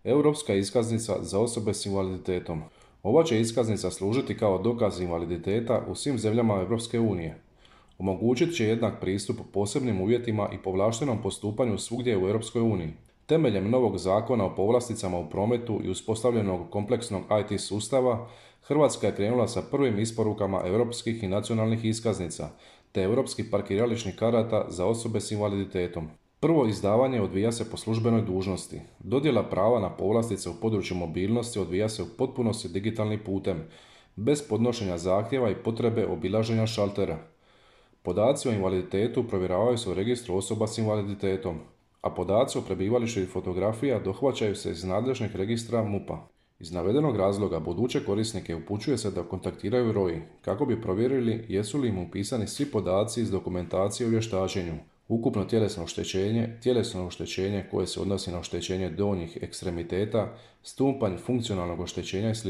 Europska iskaznica za osobe s invaliditetom. Ova će iskaznica služiti kao dokaz invaliditeta u svim zemljama Europske unije. Omogućit će jednak pristup posebnim uvjetima i povlaštenom postupanju svugdje u Europskoj uniji. Temeljem novog zakona o povlasticama u prometu i uspostavljenog kompleksnog IT sustava, Hrvatska je krenula sa prvim isporukama europskih i nacionalnih iskaznica, te europskih parkirališnih karata za osobe s invaliditetom. Prvo izdavanje odvija se po službenoj dužnosti. Dodjela prava na povlastice u području mobilnosti odvija se u potpunosti digitalnim putem, bez podnošenja zahtjeva i potrebe obilaženja šaltera. Podaci o invaliditetu provjeravaju se u registru osoba s invaliditetom, a podaci o prebivalištu i fotografija dohvaćaju se iz nadležnih registra MUP-a. Iz navedenog razloga buduće korisnike upućuje se da kontaktiraju ROI kako bi provjerili jesu li im upisani svi podaci iz dokumentacije o vještačenju, ukupno tjelesno oštećenje koje se odnosi na oštećenje donjih ekstremiteta, stupanj funkcionalnog oštećenja i sl.